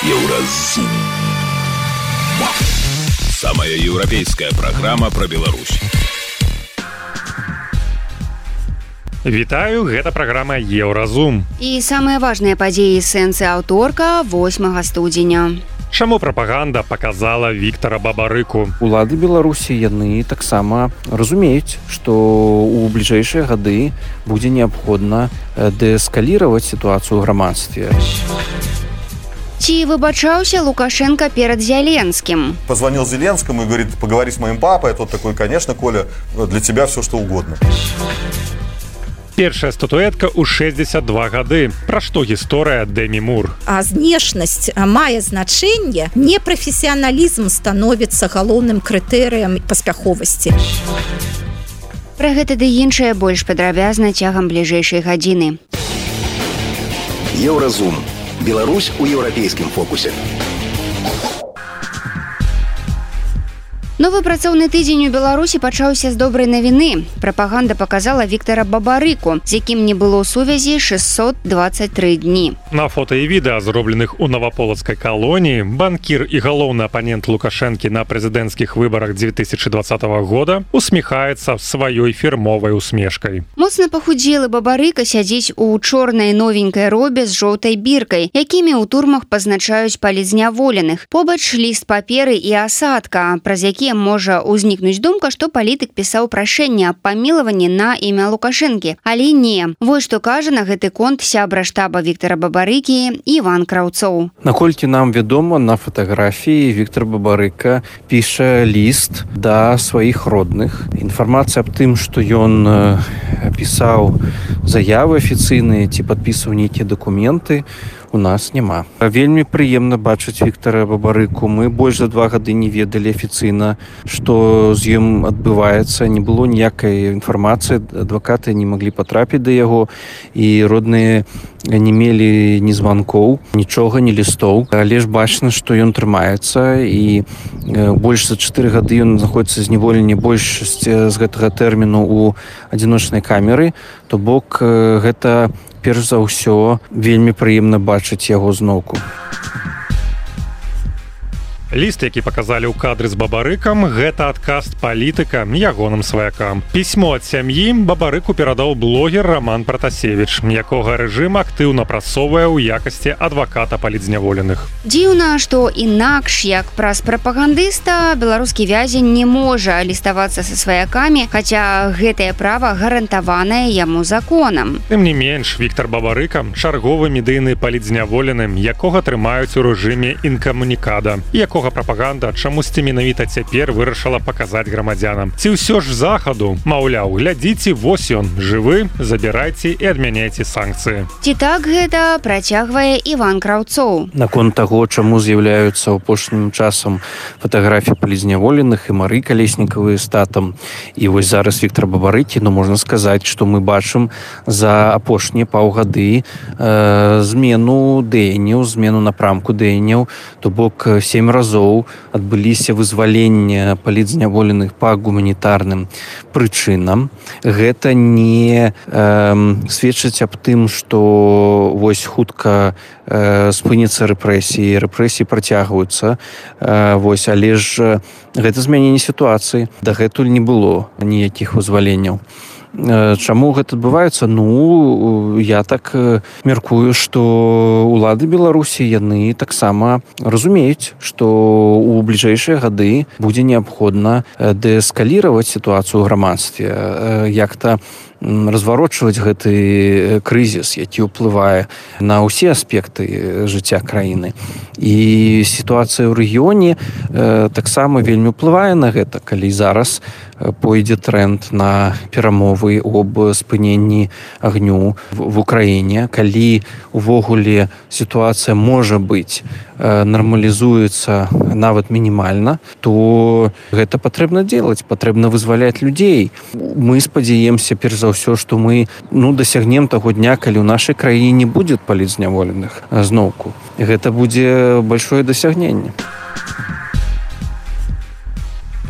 Еўразум. Самая еўрапейская программа про Беларусь. Вітаю, гэта праграма Еўразум. І самыя важныя падзеі сэнсы аўторка 8 студзеня. Чаму прапаганда паказала Віктара Бабарыку? Улады Беларусі яны таксама разумеюць, што ў бліжэйшыя гады будзе неабходна дээскаліраваць сітуацыю ў грамадстве. Ці выбачаўся Лукашенко перад Зеленским? Позвонил Зеленскому и говорит: поговори с моим папой. А тот такой: конечно, Коля, для тебя все что угодно. Першая статуэтка ў 62 гады. Пра што гісторыя Дэмі Мур? А знешнасць мае значэнне, непрафесіяналізм становіцца галоўным крытэрыем паспяховасці. Пра гэта ды іншае больш падрабязна цягам бліжэйшай гадзіны. Еўразум. Беларусь у еўрапейскім фокусе. Новы працоўны тыдзень у Беларусі пачаўся з добрай навіны. Прапаганда паказала Віктара Бабарыку, з якім не было сувязі 623 дні. На фота і відэа, зробленых у наваполацкай калоніі, банкір і галоўны апанент Лукашэнкі на прэзідэнцкіх выбарах 2020 года усміхаецца сваёй фірмовай усмешкай. Моцна пахудзелы Бабарыка сядзіць у чорнай новенькай робе з жоўтай біркай, якімі ў турмах пазначаюць палізняволеных. Побач ліст паперы і асадка, праз які можа ўзнікнуць думка, што палітык пісаў прашэнне аб памілаванні на імя Лукашэнкі. Але не. Вось што кажа на гэты конт сябра штаба Віктара Бабарыкі Іван Краўцоў. Наколькі нам вядома, на фатаграфіі Віктар Бабарыка піша ліст да сваіх родных. Інфармацыя аб тым, што ён пісаў заявы афіцыйныя ці падпісаў нейкія дакументы, у нас няма. Вельмі прыемна бачыць Віктара Бабарыку. Мы больш за 2 гады не ведалі афіцыйна, што з ім адбываецца. Не было ніякай інфармацыі, адвакаты не маглі патрапіць да яго, і родныя не мелі ні званкоў, нічога, ні лістоў. Але ж бачна, што ён трымаецца, і больш за 4 гады ён знаходзіцца зняволенні большасць з гэтага тэрміну ў адзіночнай камеры. То бок гэта перш за ўсё вельмі прыемна бачыць яго зноўку. Ліст, які паказалі ў кадры з Бабарыкам, гэта адказ палітыка ягоным сваякам. Пісьмо ад сям'і Бабарыку перадаў блогер Роман Пратасевіч, якога рэжым актыўна прасоўвае ў якасці адваката палітзняволеных. Дзіўна, што інакш, як праз прапагандыста, беларускі вязень не можа ліставацца са сваякамі, хаця гэтае права гарантаванае яму законам. Тым не менш, Віктар Бабарыка – чарговы медыйны палітзняволеным, якога трымаюць у рэжыме інкамунікада, якога прапаганда чамусьці менавіта цяпер вырашыла паказаць грамадзянам. Ці ўсё ж захаду, маўляў, глядзіце, вось ён, жывы, забірайце і адмяняйце санкцыі. Ці так гэта працягвае Іван Краўцоў. Наконт таго, чаму з'яўляюцца апошнім часам фатаграфіі палізняволеных і Мары Калеснікавай з татам, і вось зараз Віктар Бабарыкі, можна сказаць, што мы бачым за апошнія паўгады змену дзеянняў, змену напрамку дзеянняў, то бок 7 разоў адбыліся вызвалення палітзняволеных па гуманітарным прычынам. Гэта не сведчыць аб тым, што вось хутка спыняцца рэпрэсіі, рэпрэсіі працягваюцца, але ж гэта змяненне сітуацыі. Дагэтуль не было ніякіх вызваленняў. Чаму гэта адбываецца? Я так мяркую, што улады Беларусі яны таксама разумеюць, што ў бліжэйшыя гады будзе неабходна дээскаліраваць сітуацыю ў грамадстве, як-то разварочваць гэты крызіс, які ўплывае на ўсе аспекты жыцця краіны. І сітуацыя ў рэгіёне таксама вельмі ўплывае на гэта, калі зараз пойдзе тренд на перамовы об спыненні агню в Украіне, калі увогуле сітуацыя можа быць нармалізуецца нават мінімальна, то гэта патрэбна делать, патрэбна вызваляць людзей. Мы спадзяемся перш за ўсё, што мы дасягнем таго дня, калі ў нашай краіне не будзе палітзняволеных зноўку. Гэта будзе большое дасягненне.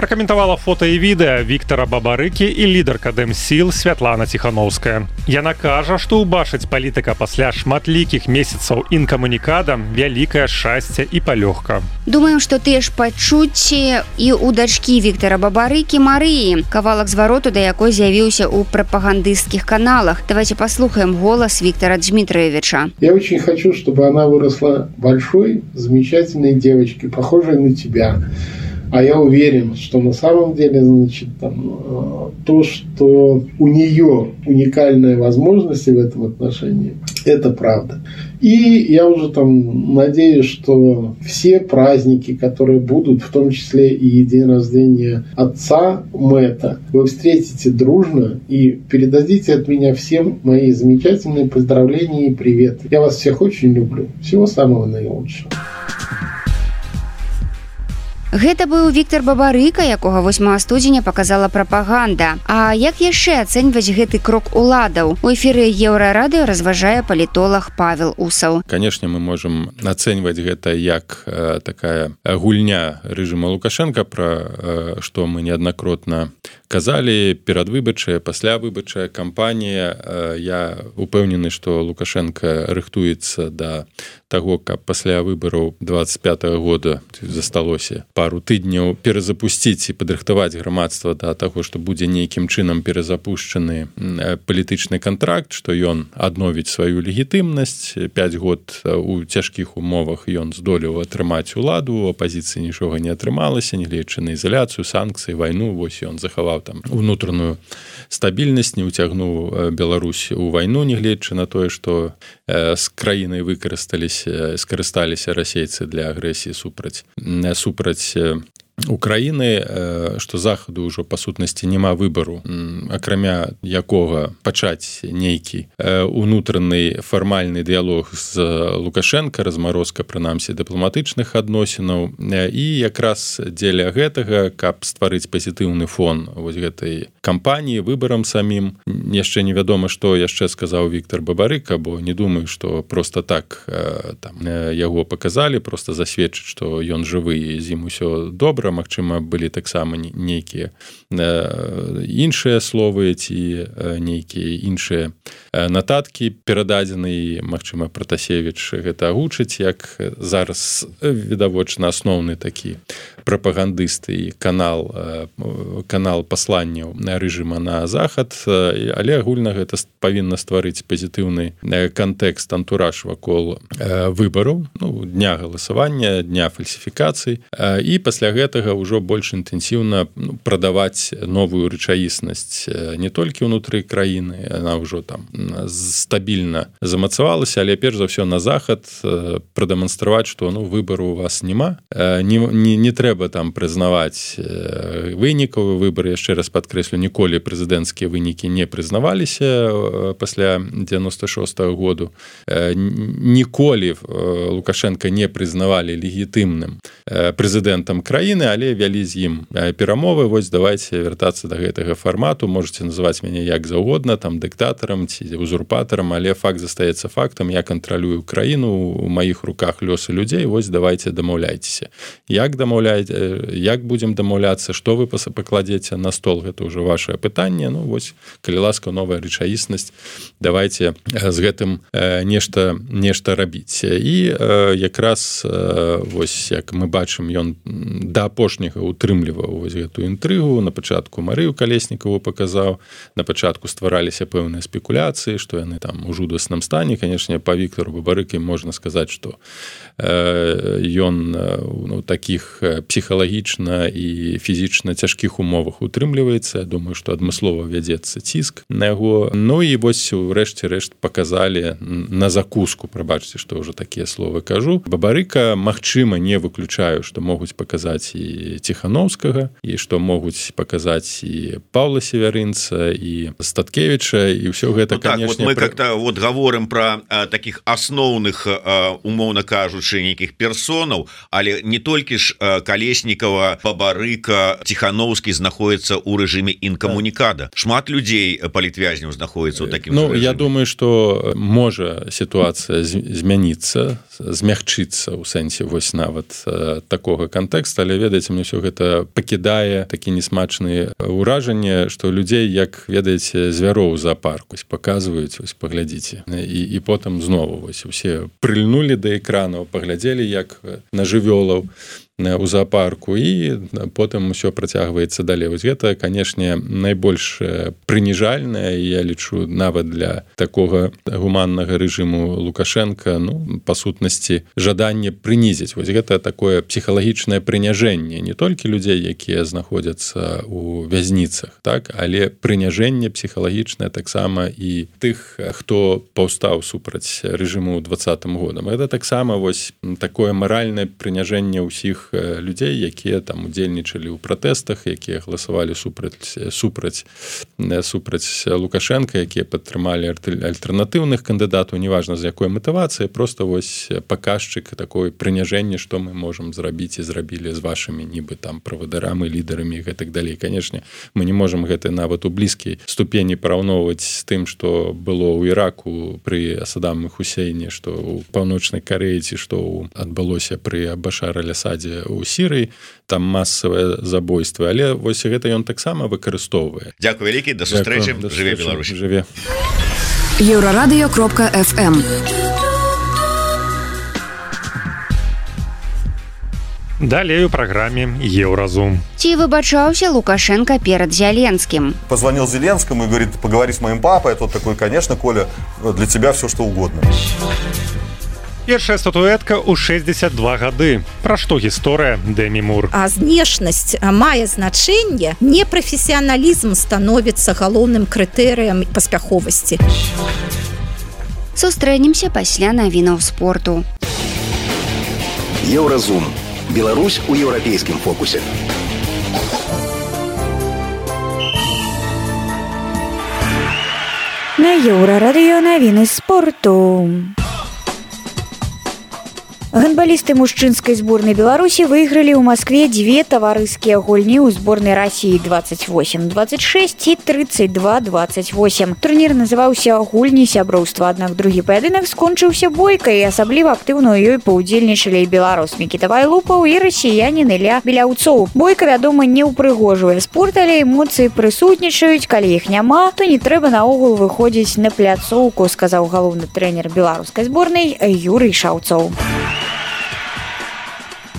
пракаментавала фота і відэа Віктара Бабарыкі і лідарка Дэмсіл Святлана Ціханаўская. Яна кажа, што ўбачыць палітыка пасля шматлікіх месяцаў інкамунікада вялікае шчасце і палёгка. Думаем, што тыя ж пачуцці і ў дачкі Віктара Бабарыкі Марыі, кавалак звароту да якой з'явіўся ў прапагандысцкіх каналах. Давайте послухаем голос Виктора Дмитриевича. Я очень хочу, чтобы она выросла большой, замечательной девочкой, похожей на тебя. А я уверен, что на самом деле, значит, то, что у нее уникальные возможности в этом отношении, это правда. И я уже надеюсь, что все праздники, которые будут, в том числе и день рождения отца Мэтта, вы встретите дружно и передадите от меня всем мои замечательные поздравления и привет. Я вас всех очень люблю. Всего самого наилучшего. Гэта быў Віктар Бабарыка, якога 8 студзеня паказала прапаганда. А як яшчэ ацэньваць гэты крок уладаў? У эфіры Еўрарадыё разважае палітолог Павел Усаў. Канешне, мы можам ацэньваць гэта як такая гульня рэжыма Лукашенка, пра што мы неаднакротна казалі, перадвыбарчая, паслявыбарчая кампанія. Я упэўнены, што Лукашенко рыхтуецца да таго, каб пасля выбараў 25-го года засталося пару тыдняў перазапусціць і падрыхтаваць грамадства да таго, што будзе нейкім чынам перазапушчаны палітычны кантракт, што ён адновіць сваю легітымнасць. 5 год у цяжкіх умовах ён здолеў атрымаць уладу, у апазіцыі нічога не атрымалася, нягледзячы на ізаляцыю, санкцыі, вайну. Вось ён захаваў унутраную стабільнасць, не ўцягнуў Беларусь у вайну, нягледзячы на тое, што з краінай скарысталіся расейцы для агрэсіі супраць Украіны, што захаду ўжо па сутнасці няма выбару, акрамя якога пачаць нейкі унутраны фармальны дыялог з Лукашенко, размарозка прынамсі дыпламатычных адносінаў. І якраз дзеля гэтага, каб стварыць пазітыўны фон вось гэтай кампаніі, выбарам самім. Яшчэ невядома, што яшчэ сказаў Віктар Бабарыка, бо не думаю, што проста так яго паказалі, проста засведчыць, што ён жывы і з ім усё добра. Магчыма, былі таксама нейкія іншыя словы ці нейкія іншыя нататкі перададзены. Магчыма, Пратасевіч гэта агучыць, як зараз відавочна асноўны такі прапагандыст і канал пасланняў рэжыма на захад, але агульна гэта павінна стварыць пазітыўны кантэкст, антураж вакол выбараў, дня галасавання, дня фальсіфікацый, і пасля гэтага ўжо больш інтэнсіўна прадаваць новую рэчаіснасць не толькі ўнутры краіны, яна ўжо стабільна замацавалася, але перш за ўсё на захад прадэманстраваць, што выбару у вас няма, не трэба прызнаваць вынікаў выбары. Яшчэ раз падкрэслю, ніколі прэзідэнцкія вынікі не прызнаваліся пасля 96-го году. Ніколі Лукашенко не прызнавалі легітымным прэзідэнтам краіны, але вялі з ім перамовы. Вось давайте вяртацца да гэтага фармату. Можете называць мяне як заўгодна, дыктатарам ці узурпатарам, але факт застаецца фактам. Я кантралюю краіну, у маіх руках лёсы людзей. Вось давайте дамаўляйцеся. Як будзем дамаўляцца, што вы пакладзеце на стол, гэта ўжо вашае пытанне. Вось, калі ласка, новая рэчаіснасць, давайте з гэтым нешта рабіць. І якраз вось, як мы бачым, ён да апошняга утрымліваў вось гэтую інтрыгу. На пачатку Марыю Калеснікаву паказаў, на пачатку ствараліся пэўныя спекуляцыі, што яны у жудасным стане. Канешне, па Віктару Бабарыкі можна сказаць, што ён у такіх псіхалагічна і фізічна цяжкіх умовах утрымліваецца. Я думаю, што адмыслова вядзецца ціск на яго. І вось у рэшце рэшт паказалі на закуску, прабачце, што ўжо такія словы кажу. Бабарыка, магчыма, не выключаю, што могуць паказаць і Ціханаўскага, і што могуць паказаць і Паўла Севярынца, і Статкевіча, і ўсё гэта, канешне... Мы как-то гаворым пра такіх асноўных, умоўна кажучы, нейкіх персонаў, але не толькі ж Калеснікава, Бабарыка, Ціханаўскі знаходзіцца ў рэжыме інкамунікада. Шмат людзей, палітвязняў, знаходзіцца ў такім рэжыме. Я думаю, што можа сітуацыя змяніцца, змягчыцца ў сэнсе вось нават такога кантэкста, але ведаеце, мне ўсё гэта пакідае такі несмачныя ўражанне, што людзей, як ведаеце, звяроў у зоапарку паказваюць, вось паглядзіце, і потым знову вось усе прыльнулі да экранаў, паглядзелі як на жывёлаў у зоапарку, і потым усё працягваецца далей. Вось гэта, канешне, найбольш прыніжальнае, я лічу, нават для такога гуманнага рэжыму Лукашенка, ну, па сутнасці, жаданне прынізіць. Вось гэта такое псіхалагічнае прыняжэнне не толькі людзей, якія знаходзяцца у вязніцах, так, але прыняжэнне псіхалагічнае таксама і тых, хто паўстаў супраць рэжыму ў 2020 годам. Гэта таксама вось такое маральнае прыняжэнне ўсіх людзей, якія там удзельнічалі ў пратэстах, якія галасавалі супраць Лукашенка, якія падтрымалі альтэрнатыўных кандыдатаў, неважна з якой матывацыі, просто вось паказчык такое прыняжэнне, што мы можам зрабіць і зрабілі з вашымі нібы там правадарамі, лідарамі і гэтак далей. Канешне, мы не можам гэта нават у блізкай ступені параўноўваць з тым, што было ў Іраку пры Саддаме Хусейне, што ў Паўночнай Карэі, ці што адбылося пры Башар аль-Асадзе у Сірыі, там масавыя забойствы, але вось гэта ён таксама выкарыстоўвае. Дзякуй вялікі, да сустрэчы, жыве Беларусь. Жыве. Еўрарадыё.фм. Далей у праграме Еўразум. Ці выбачаўся Лукашенко перад Зеленским? Позвонил Зеленскому и говорит: поговори с моим папой. А тот такой: конечно, Коля, для тебя все что угодно. Першая статуэтка ў 62 гады. Пра што гісторыя Дэмі Мур? А знешнасць мае значэнне, непрафесіяналізм становіцца галоўным крытэрыем паспяховасці. Сустрэнемся пасля навінаў спорту. Еўразум. Беларусь у еўрапейскім фокусе. На Еўрарадыё навіны спорту. Гандбалісты мужчынскай зборнай Беларусі выйгралі ў Маскве дзве таварыскія гульні ў зборнай Расіі 28-26 і 32-28. Турнір называўся «Гульні сяброўства», аднак другі паядынак скончыўся бойкай, і асабліва актыўна ў ёй паўдзельнічалі і беларус Мікіта Вайлупаў і расіянін Ілля Беляўцоў. Бойка, вядома, не ўпрыгожвае спорт, але эмоцыі прысутнічаюць. Калі іх няма, то не трэба наогул выходзіць на пляцоўку, сказаў галоўны трэнер беларускай зборнай Юрый Шаўцоў.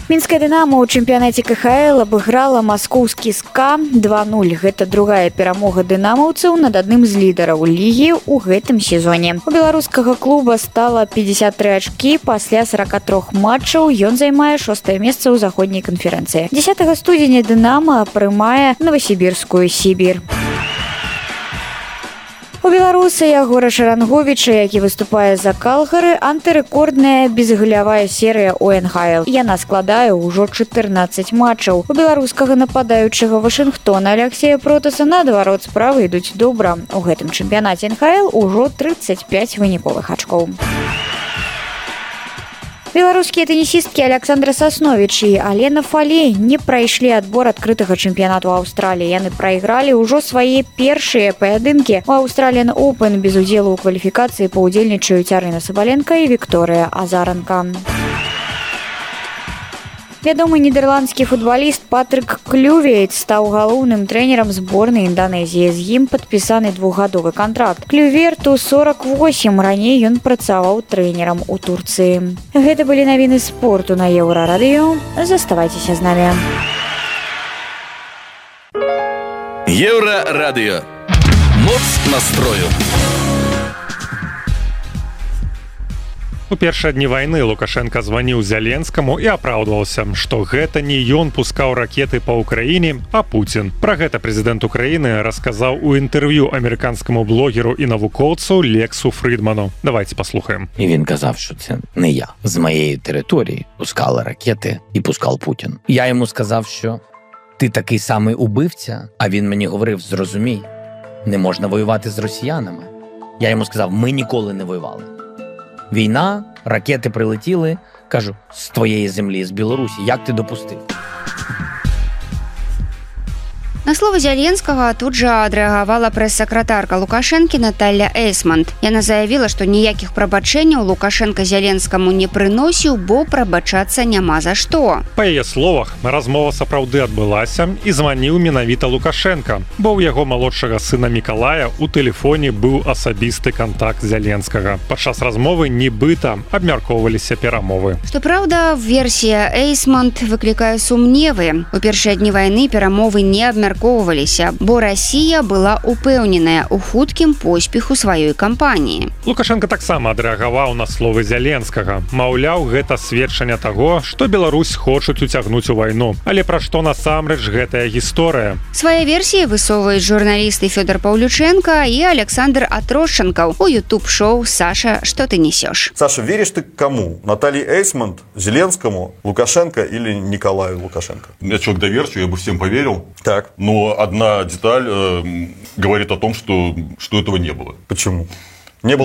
Мінская «Дынамо» ў чэмпіянаце КХЛ абыграла маскоўскі СКА 2-0. Гэта другая перамога дынамаўцаў над адным з лідараў лігі ў гэтым сезоне. У беларускага клуба стала 53 ачкі пасля 43 матчаў. Ён займае 6-е месца ў заходняй канферэнцыі. 10 студзеня «Дынамо» прымае новасібірскую «Сібір». У беларуса Ягора Шаранговіча, які выступае за Калгары, антырэкордная безгалявая серыя ў НХЛ. Яна складае ўжо 14 матчаў. У беларускага нападаючага Вашынгтона Алексея Протаса, наадварот, справы ідуць добра. У гэтым чэмпіянаце НХЛ ўжо 35 выніковых ачкоў. Беларускія тэнісісткі Александра Сасновіч і Алена Фалей не прайшлі адбор адкрытага чэмпіянату Аўстраліі. Яны прайгралі ўжо свае першыя паядынкі. У Australian Open без удзелу ў кваліфікацыі паўдзельнічаюць Арына Сабаленка і Вікторыя Азаранка. Вядомы нідэрландскі футбаліст Патрык Клювейт стаў галоўным трэнерам зборнай Інданезіі. З ім падпісаны 2-гадовы кантракт. Клюверту 48, раней ён працаваў трэнерам у Турцыі. Гэта былі навіны спорту на Еўрарадыё. Заставайцеся з намі. Еўрарадыё. Моц настрою. У першыя дні вайны Лукашенка званіў Зеленскаму і апраўдваўся, што гэта не ён пускаў ракеты па ўкраіне, а Пуцін. Пра гэта прэзідэнт Украіны расказаў у інтэрв'ю американскаму блогеру і навукоўцу Лексу Фрідману. Давайте послухаємо. І він казав, що це не я. З моєї території пускали ракети і пускав Путін. Я йому сказав, що ти такий самий убивця, а він мені говорив: зрозумій, не можна воювати з росіянами. Я йому сказав: ми ніколи не воювали. Війна, ракети прилетіли, кажу, з твоєї землі, з Білорусі, як ти допустив? На слово Зеленскага тут жа адрэагавала прэс-сакратарка Лукашэнкі Наталья Эйсмонт. Яна заявіла, што ніякіх прабачэнняў Лукашенка Зеленскаму не прыносіў, бо прабачацца няма за што. Па яе словах, размова сапраўды адбылася і званіў менавіта Лукашенка, бо ў яго малодшага сына Мікалая у тэлефоне быў асабісты кантакт Зеленскага. Падчас размовы нібыта абмяркоўваліся перамовы. Што праўда, версія Эйсмонт выклікае сумневы. У першыя дні вайны перамовы не абмяркоўваліся, бо Расія была упэўненая ў хуткім поспеху сваёй кампаніі. Лукашенко таксама адрэагаваў на словы Зеленскага. Маўляў, гэта сведчанне таго, што Беларусь хочуць уцягнуць у вайну. Але пра што насамрэч гэтая гісторыя? Свае версіі высоўваюць журналісты Фёдор Паўлюченко і Александр Атрошченкаў у YouTube-шоу «Саша, что ты несешь?». Саша, веришь ты кому? Наталье Эйсмонт, Зеленскому, Лукашенко или Николаю Лукашенко? Я человек доверчивый, я бы всем поверил. Так. Но одна деталь говорит о том, что этого не было. Почему? Не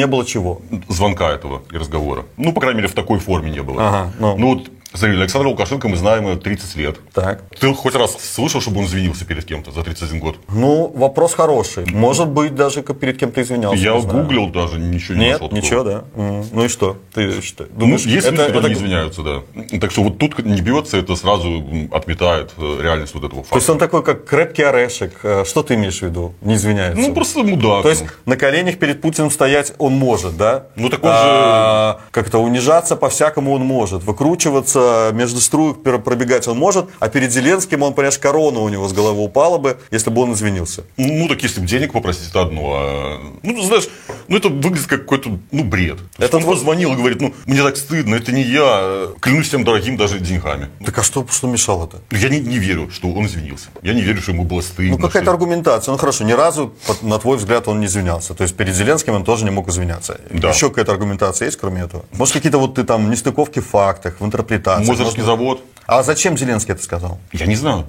было чего? Звонка этого и разговора. Ну, по крайней мере, в такой форме не было. Ага, ну вот, смотри, Александра Лукашенко мы знаем 30 лет. Так. Ты хоть раз слышал, чтобы он извинился перед кем-то за 31 год? Ну, вопрос хороший. Может быть, даже перед кем-то извинялся. Я гуглил даже, ничего не нашел. Нет, ничего, да. Ну и что? Ты что? Думаешь, есть люди, которые не извиняются, да. Так что вот тут не бьется, это сразу отметает реальность вот этого факта. То есть он такой, как крепкий орешек. Что ты имеешь в виду? Не извиняется? Ну, просто мудак. То есть на коленях перед Путиным стоять он может, да? Ну, так он же... Как-то унижаться по-всякому он может. Выкручиваться между струек пробегать он может, а перед Зеленским он, понимаешь, корона у него с головы упала бы, если бы он извинился. Ну, так если бы денег попросить, это одно. Ну, знаешь, это выглядит как какой-то, бред. Это он позвонил и говорит, мне так стыдно, это не я, клянусь всем дорогим даже деньгами. Так а что мешало-то? Я не верю, что он извинился. Я не верю, что ему было стыдно. Ну, какая-то аргументация. Ну, хорошо, ни разу, на твой взгляд, он не извинялся. То есть перед Зеленским он тоже не мог извиняться. Да. Еще какая-то аргументация есть, кроме этого? Может, какие-то вот ты там нестыковки в фактах, в интерпретации? Мозырский завод. А зачем Зеленский это сказал? Я не знаю.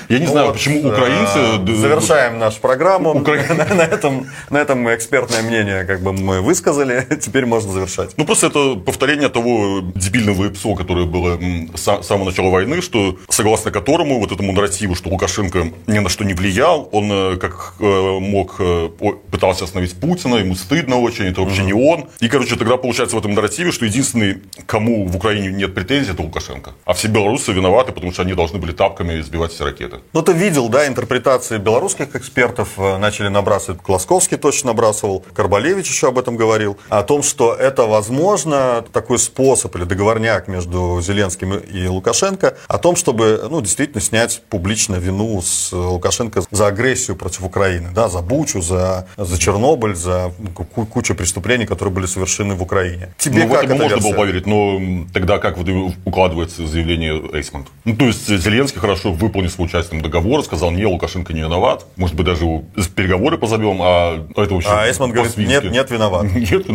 Я не знаю, почему украинцы... Завершаем нашу программу. На этом экспертное мнение как бы мы высказали. Теперь можно завершать. Ну, просто это повторение того дебильного ИПСО, которое было с самого начала войны, что согласно которому вот этому нарративу, что Лукашенко ни на что не влиял, он как мог пытался остановить Путина, ему стыдно очень, это вообще не он. И, тогда получается в этом нарративе, что единственный, кому в Украине нет претензий, это Лукашенко. А все белорусы виноваты, потому что они должны были тапками сбивать все ракеты. Ну, ты видел, да, интерпретации белорусских экспертов начали набрасывать. Класковский точно набрасывал, Карбалевич еще об этом говорил. О том, что это, возможно, такой способ или договорняк между Зеленским и Лукашенко. О том, чтобы, действительно снять публично вину с Лукашенко за агрессию против Украины. Да, за Бучу, за Чернобыль, за кучу преступлений, которые были совершены в Украине. Тебе в это можно было поверить, но тогда как укладывается заявление Эйсмонт? То есть Зеленский хорошо выполнил свой участие в договоре, сказал, не, Лукашенко не виноват, может быть, даже переговоры позовем, а это вообще... А Эйсмонт говорит, нет, виноват. Нет,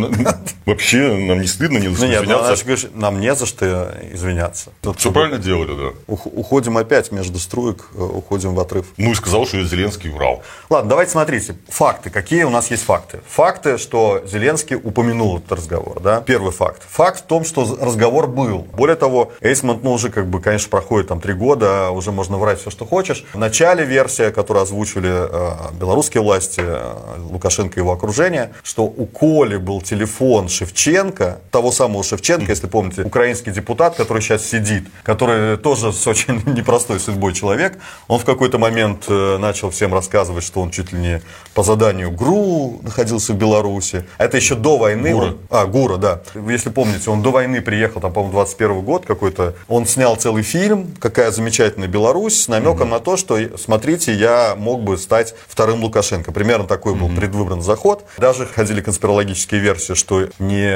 вообще нам не стыдно, не за что извиняться. Нет, нам не за что извиняться. Все правильно делали, да. Уходим опять между струек, уходим в отрыв. Ну и сказал, что Зеленский врал. Ладно, давайте смотрите. Факты. Какие у нас есть факты? Факты, что Зеленский упомянул этот разговор. Да? Первый факт. Факт в том, что разговор был. Более того, Эйсмонт, уже конечно, проходит 3 года, уже можно врать все, что хочешь. В начале версия, которую озвучивали белорусские власти, Лукашенко и его окружение, что у Коли был телефон Шевченко, того самого Шевченко, если помните, украинский депутат, который сейчас сидит, который тоже с очень непростой судьбой человек. Он в какой-то момент начал всем рассказывать, что он чуть ли не по заданию ГРУ находился в Беларуси. Это еще до войны. ГУРа, да. Если помните, он до войны приехал, по-моему, 21 год какой-то. Он снял целый фильм «Какая замечательная Беларусь» с намеком на то, что, смотрите, я мог бы стать вторым Лукашенко. Примерно такой был предвыборный заход. Даже ходили конспирологические версии, что не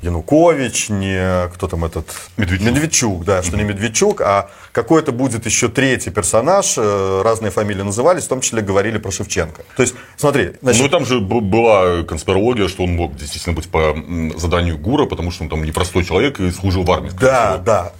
Янукович, не кто там этот... Медведчук, да, что не Медведчук, а какой-то будет еще третий персонаж, разные фамилии назывались, в том числе говорили про Шевченко. То есть, смотри... Ну, там же была конспирология, что он мог действительно быть по заданию ГУРа, потому что он там непростой человек и служил в армии. Да.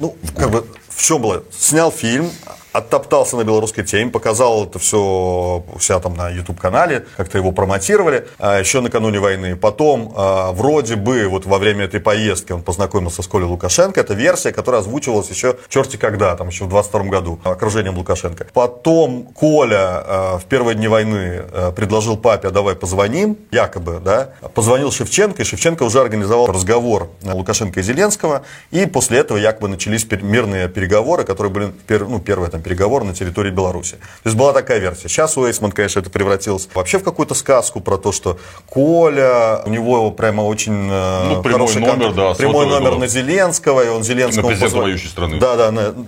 В чем было? Снял фильм, оттоптался на белорусской теме, показал это все у себя там на YouTube-канале, как-то его промотировали еще накануне войны. Потом вроде бы вот во время этой поездки он познакомился с Колей Лукашенко. Это версия, которая озвучивалась еще черти когда, там еще в 22 году, окружением Лукашенко. Потом Коля в первые дни войны предложил папе: а давай позвоним, якобы, да. Позвонил Шевченко, и Шевченко уже организовал разговор Лукашенко и Зеленского, и после этого якобы начались мирные переговоры, которые были, первые там переговоры на территории Беларуси. То есть была такая версия. Сейчас у Эйсман, конечно, это превратилось вообще в какую-то сказку про то, что Коля, у него прямо очень хороший номер, да, прямой номер на Зеленского, и он Зеленскому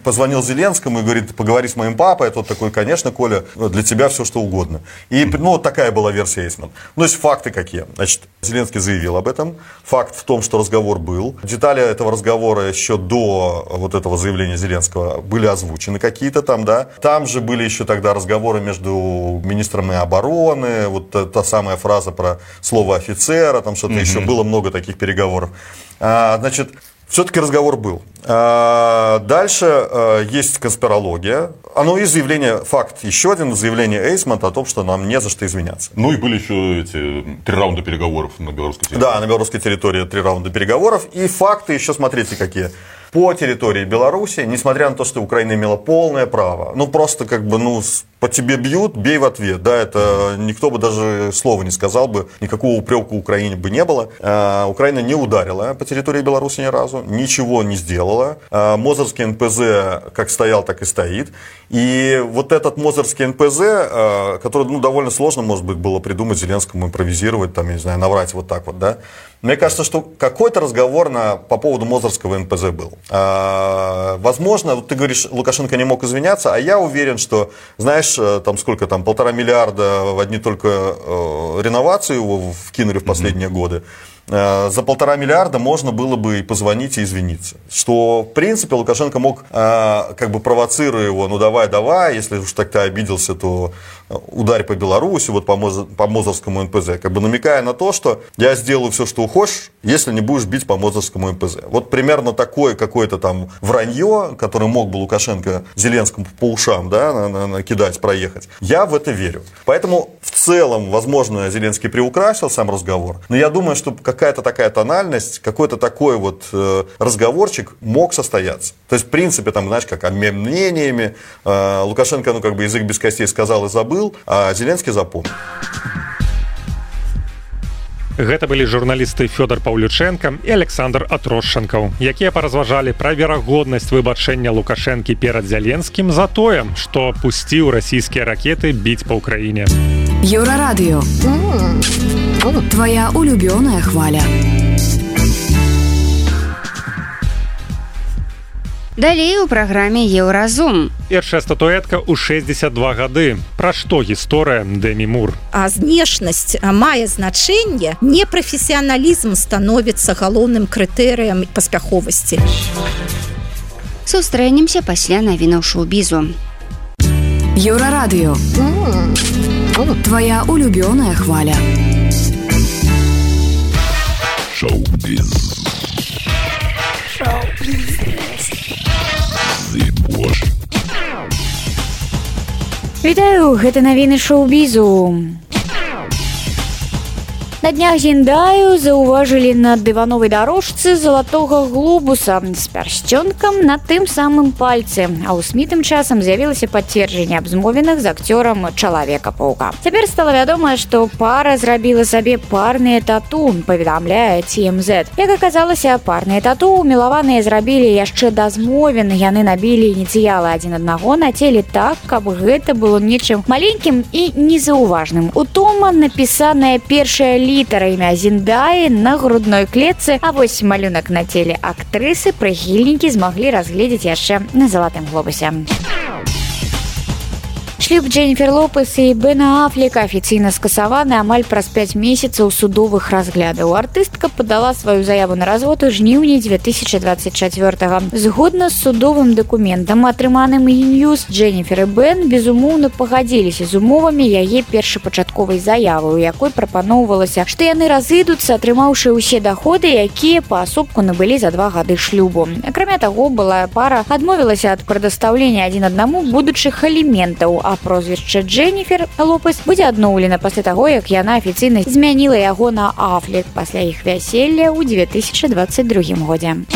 позвонил Зеленскому и говорит: поговори с моим папой. А тот такой: конечно, Коля, для тебя все что угодно. И вот такая была версия Эйсман. То есть факты какие? Значит, Зеленский заявил об этом. Факт в том, что разговор был. Детали этого разговора еще до вот этого заявления Зеленского были озвучены какие-то там, да. Там же были еще тогда разговоры между министрами обороны, вот та самая фраза про слово офицера, там что-то еще, было много таких переговоров. Значит, все-таки разговор был. Дальше есть конспирология. И заявление, факт еще один, заявление Эйсмонта о том, что нам не за что извиняться. И были еще эти 3 раунда переговоров на белорусской территории. Да, на белорусской территории 3 раунда переговоров. И факты еще, смотрите, какие. По территории Беларуси, несмотря на то, что Украина имела полное право, просто по тебе бьют, бей в ответ, да, это никто бы даже слова не сказал бы, никакого упрека Украине бы не было. Украина не ударила по территории Беларуси ни разу, ничего не сделала. Мозырский НПЗ как стоял, так и стоит. И вот этот Мозырский НПЗ, который, довольно сложно, может быть, было придумать Зеленскому, импровизировать, там, я не знаю, наврать вот так вот, да. Мне кажется, что какой-то разговор по поводу Мозырского НПЗ был. Возможно, вот ты говоришь, Лукашенко не мог извиняться, а я уверен, что, знаешь, там сколько там, 1,5 миллиарда в одни только реновации его вкинули в последние годы. За 1,5 миллиарда можно было бы и позвонить и извиниться. Что, в принципе, Лукашенко мог, провоцируя его: давай, если уж так ты обиделся, то ударь по Беларуси, вот по Мозырскому НПЗ, намекая на то, что я сделаю все, что хочешь, если не будешь бить по Мозырскому НПЗ. Вот примерно такое какое-то там вранье, которое мог бы Лукашенко Зеленскому по ушам, да, накидать, проехать. Я в это верю. Поэтому в целом, возможно, Зеленский приукрасил сам разговор, но я думаю, что какая-то такая тональность, какой-то такой вот разговорчик мог состояться. То есть, в принципе, там, знаешь, как обмен мнениями, Лукашенко, язык без костей сказал и забыл, а Зеленский запомнил. Гэта былі журналісты Фёдор Паўлюченко і Александр Атрошчанкаў, якія паразважалі пра верагоднасць выбачэння Лукашэнкі перад Зеленскім за тое, што пусціў расійскія ракеты біць па ўкраіне. Еўрарадыё. Твоя улюбёная хваля. Далей у праграме Еўразум. Першая статуэтка ў 62 гады. Пра што гісторыя Дэмі Мур? Знешнасць мае значэнне, непрафесіяналізм становіцца галоўным крытэрыем паспяховасці. Сустрэнемся пасля навінаў шоу-бізу. Еўрарадыё. Твоя улюбёная хваля. Шоу-біз. Вітаю, гэта навіны шоу-бізу. На днях Зіндаю заўважылі на дывановай дарожцы залатога глобуса з пярсцёнкам на тым самым пальцы, а ў СМІ тым часам з'явілася пацверджанне абзмовіных з акцёрам Чалавека-паўка. Цяпер стала вядома, што пара зрабіла сабе парныя тату, паведамляе TMZ. Як аказалася, парныя тату мілаваныя зрабілі яшчэ да змовін. Яны набілі ініцыялы адзін аднаго на целе так, каб гэта было нечым маленькім і незаўважным. Утома напісаная першая літара імя Зіндаі на грудной клетцы, а вось малюнак на целе актрысы прыхільнікі змаглі разгледзець яшчэ на залатым глобусе. Шлюб Дженнифер Лопес і Бена Аффлека афіцыйна скасаваны амаль праз 5 месяцаў судовых разглядаў. Артыстка падала сваю заяву на развод у жніўні 2024-го. Згодна з судовым дакументам, атрыманым E-News, Дженнифер і Бен безумоўна пагадзіліся з умовамі яе першапачатковай заявы, у якой прапаноўвалася, што яны разыдуцца, атрымаўшы ўсе даходы, якія паасобку набылі за 2 гады шлюбу. Акрамя таго, былая пара адмовілася ад прадастаўлення адзін аднаму будучых аліментаў, а прозвішча Дженнифер Лопес будзе адноўлена пасля таго, як яна афіцыйна змяніла яго на Аффлек пасля іх вяселля ў 2022 годзе.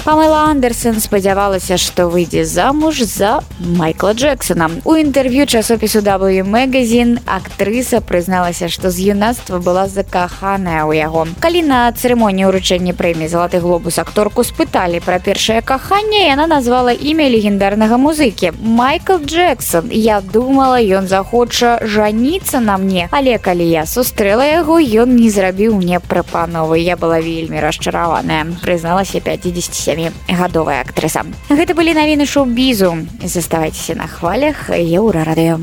Памела Андерсон спадзявалася, што выйдзе замуж за Майкла Джексона. У інтэрв'ю часопісу W Magazine актрыса прызналася, што з юнацтва была закаханая ў яго. Калі на цырымоніі ўручэння прэміі «Залаты глобус» акторку спыталі пра першае каханне, яна назвала імя легендарнага музыкі – Майкл Джексон. Я думала, ён захоча жаніцца на мне, але калі я сустрэла яго, ён не зрабіў мне прапановы. Я была вельмі расчараваная, прызналася 57-гадовая актрыса. Гэта былі навіны шоу-бізу. Заставайцеся на хвалях Еўрарадыё.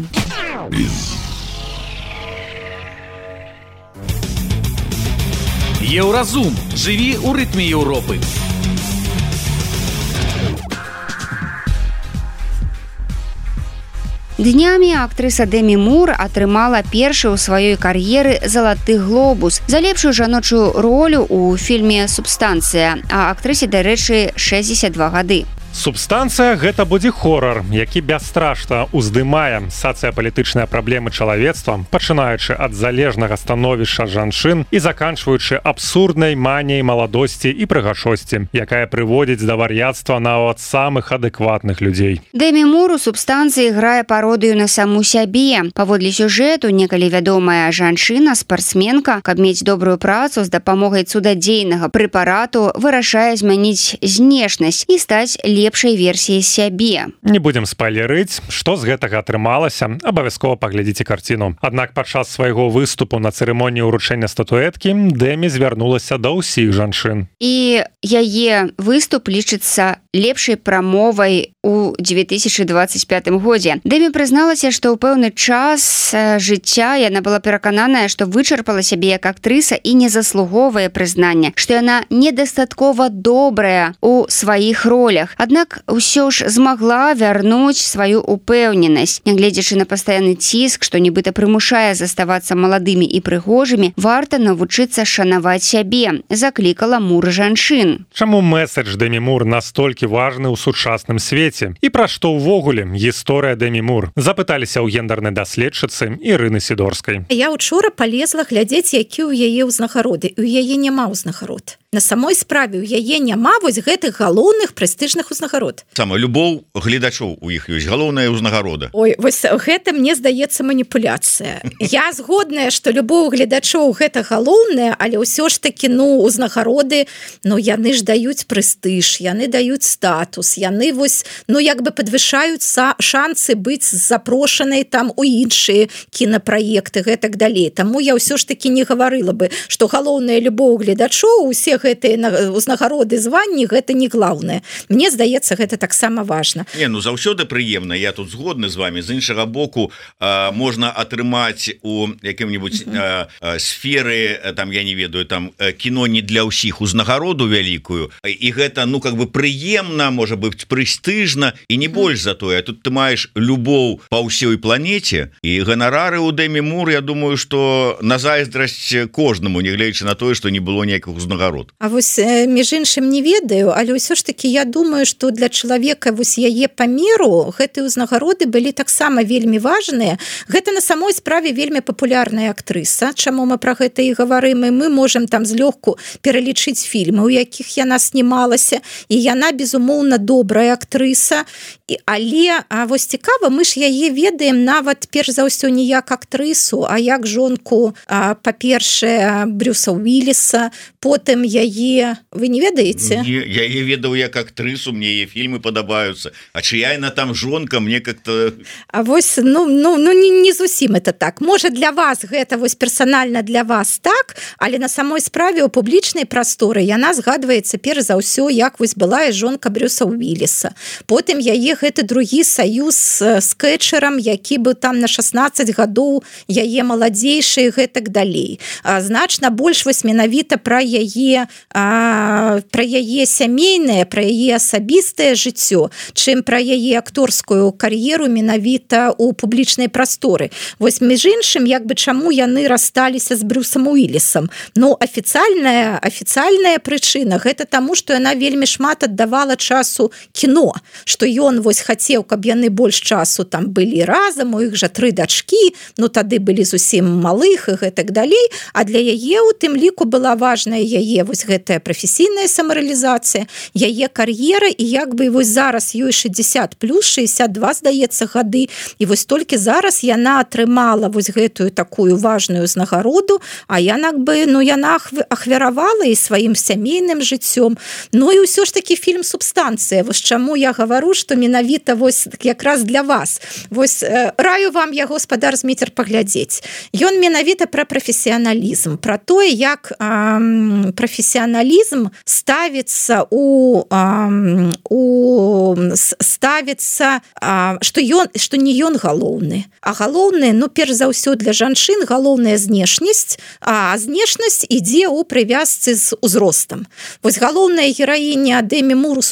Еўразум. Жыві ў рытме Еўропы. Днямі актрыса Дэмі Мур атрымала першы ў сваёй кар'еры залаты глобус за лепшую жаночую ролю ў фільме «Субстанцыя», а актрысе, дарэчы, 62 гады. Субстанцыя – гэта будзе хорар, які бясстрашна ўздымае сацыяпалітычныя праблемы чалавецтва, пачынаючы ад залежнага становішча жанчын і заканчваючы абсурднай маніяй маладосці і прыгажосці, якая прыводзіць да вар'яцтва нават самых адэкватных людзей. Дэмі Мур у «Субстанцыі» грае пародыю на саму сябе. Паводле сюжэту, некалі вядомая жанчына, спартсменка, каб мець добрую працу з дапамогай цудадзейнага прэпарату, вырашае змяніць знешнасць і стаць лепшай версіяй сябе. Не будзем спойлерыць, што з гэтага атрымалася, абавязкова паглядзіце карціну. Аднак падчас свайго выступу на цырымоніі ўручэння статуэткі Дэмі звярнулася да ўсіх жанчын. І яе выступ лічыцца лепшай прамовай у 2025 годзе. Дэмі прызналася, што ў пэўны час жыцця яна была перакананая, што вычарпала сябе як актрыса і не заслуговае прызнання, што яна недастаткова добрая у сваіх ролях. Аднак ўсё ж змагла вярнуць сваю упэўненасць. Нягледзячы на пастаянны ціск, што нібыта прымушае заставацца маладымі і прыгожымі, варта навучыцца шанаваць сябе, заклікала Мур жанчын. Чаму месседж Дэмі Мур настолькі важны ў сучасным свеце? І пра што ўвогуле гісторыя Дэмі Мур? Запыталіся ў гендернай даследчыцы Ірыны Сідорскай. Я учора палезла глядзець, які ў яе ўзнагароды. У яе няма ўзнагарод. На самой справе у яе няма вось гэтых галоўных прэстыжных узнагарод. Сама любоў гледачоў у іх ёсць галоўная ўзнагарода. Ой, вось гэта мне здаецца маніпуляцыя. Я згодная, што любоў гледачоў гэта галоўнае, але ўсё ж такі, узнагароды, яны ж даюць прэстыж, яны даюць статус, яны вось, як бы падвышаюць шансы быць запрошанай там у іншыя кінапраекты, гэтак далей. Таму я ўсё ж такі не гаварыла бы, што галоўная любоў гледачоў, усе гэтыя ўзнагароды, званні, гэта не глаўнае. Мне здаецца, гэта таксама важна. Заўсёды прыемна, я тут згодны з вами. З іншага боку, можна атрымаць у якім-небудзь сферы, там, я не ведаю, там, кіно не для ўсіх узнагароду вялікую, і гэта, прыемна, можа быць прэстыжна, і не больш за тое. Тут ты маеш любоў па ўсёй планеце, і ганарары ў Дэмі Мур, я думаю, што на зайздрасць кожнаму, нягледзячы на тое, што не было ніякіх узнагарод. А вось між іншым не ведаю, але ўсё ж таки я думаю, што для чалавека вось яе памеру гэтыя ўзнагароды былі таксама вельмі важныя. Гэта на самой справе вельмі папулярная актрыса. Чаму мы пра гэта і гаварым, і мы можам там злёгку пералічыць фільмы, у якіх яна снімалася, і яна безумоўна добрая актрыса. Але вось цікава, мы ж яе ведаем нават перш за ўсё не як актрысу, а як жонку, па-першае, Брюса Уіліса, потым яе, вы не ведаеце? Я яе ведаў як актрысу, мне мне фільмы падабаюцца, а чыя яна там жонка, мне как-то... А вось, не зусім это так. Можа, для вас гэта вось персанальна для вас так, але на самой справе ў публічнай прасторы яна згадваецца перш за ўсё, як вось была і жонка Брюса Уиллиса. Потым яе гэты другі саюз з Кэтчерам, які быў там на 16 гадоў, яе маладзейшы і гэтак далей. Значна больш вось менавіта пра яе сямейнае, пра яе асабістае жыццё, чым пра яе акторскую кар'еру менавіта ў публічнай прасторы. Вось між іншым, як бы чаму яны рассталіся з Брюсам Уиллисом? Ну, афіцыйная прычына гэта таму, што яна вельмі шмат аддавала часу кіно, што ён вось хацеў, каб яны больш часу там былі разам, у іх жа 3 дачкі, ну тады былі зусім малых і гэтак далей, а для яе у тым ліку была важная яе вось гэтая прафесійная самарэалізацыя, яе кар'ера, і як бы вось зараз ёй 60 плюс 62, здаецца, гады, і вось толькі зараз яна атрымала вось гэтую такую важную узнагароду, а яна ахвяравала і сваім сямейным жыццём. Ну і ўсё ж такі фільм «Субстанцыя». Вось чаму я гавару, што менавіта вось якраз для вас. Вось раю вам яго, спадар Зміцер, паглядзець. Ён менавіта пра прафесіяналізм, пра тое, як прафесіяналізм ставіцца што не ён галоўны, а галоўны, ну, перш за ўсё для жанчын галоўная знешнасць, а знешнасць ідзе ў прывязцы з узростам. Вось галоўная гераіня Дэмі Мур у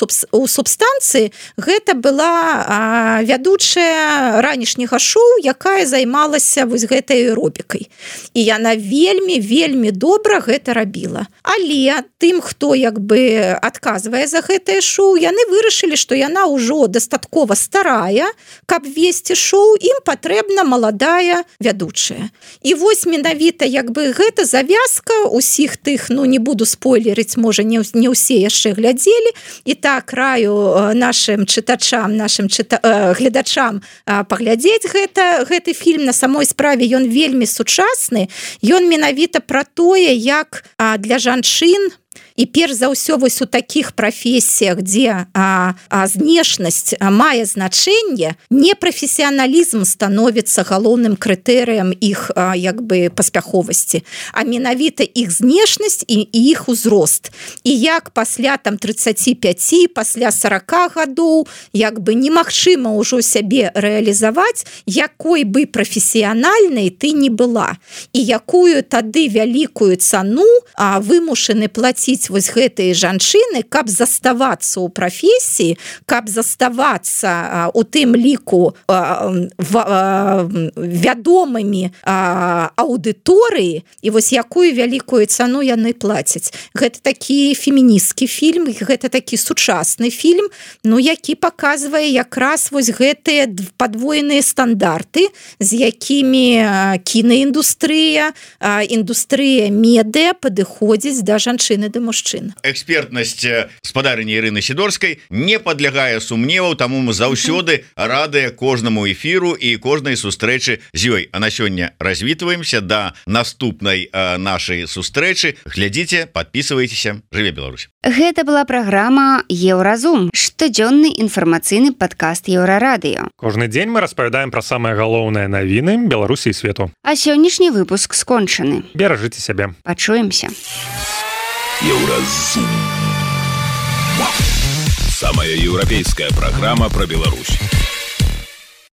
«Субстанцыі» гэта была вядучая ранішняга шоу, якая займалася вось гэтай аэробікай. І яна вельмі добра гэта рабіла. Але тым, хто як бы адказвае за гэтае шоу, яны вырашылі, што яна ўжо дастаткова старая, каб весці шоу, ім патрэбна маладая вядучая. І вось менавіта як бы гэта завязка усіх тых, ну не буду спойлерыць, можа не ўсе яшчэ глядзелі, і так раю нашим чытачам, гледачам паглядзець гэты фільм. На самой справе ён вельмі сучасны, ён менавіта пра тое, як для жанчын і перш за ўсё вось у такіх прафесіях, дзе знешнасць мае значэнне, непрафесіяналізм становіцца галоўным крытэрыем іх як бы паспяховасці, а менавіта іх знешнасць і іх узрост. І як пасля там 35, пасля 40 гадоў як бы немагчыма ўжо сябе рэалізаваць, якой бы прафесіянальнай ты не была, і якую тады вялікую цану вымушаны плаціць вось гэтыя жанчыны, каб заставацца ў прафесіі, каб заставацца у тым ліку вядомымі аўдыторыі, і вось якую вялікую цану яны плацяць. Гэта такі феміністкі фільм, гэта такі сучасны фільм, ну які паказвае якраз вось гэтыя падвойныя стандарты, з якімі кінаіндустрыя, індустрыя медыа падыходзіць да жанчыны, да мужчын. Экспертнасць спадарыні Ірыны Сідорскай не падлягае сумневаў, таму мы заўсёды радыя кожнаму эфіру і кожнай сустрэчы з ёй. А на сёння развітваемся да наступнай нашай сустрэчы. Глядзіце, подписывайтеся. Жыве Беларусь. Гэта была праграма «Еўразум», штодзённы інфармацыйны падкаст Еўрарадыё. Кожны дзень мы распавядаем пра самыя галоўныя навіны Беларусі і свету. А сённяшні выпуск скончаны. Беражыце сябе. Пачуемся. Еўразум. Самая еўрапейская праграма пра Беларусь.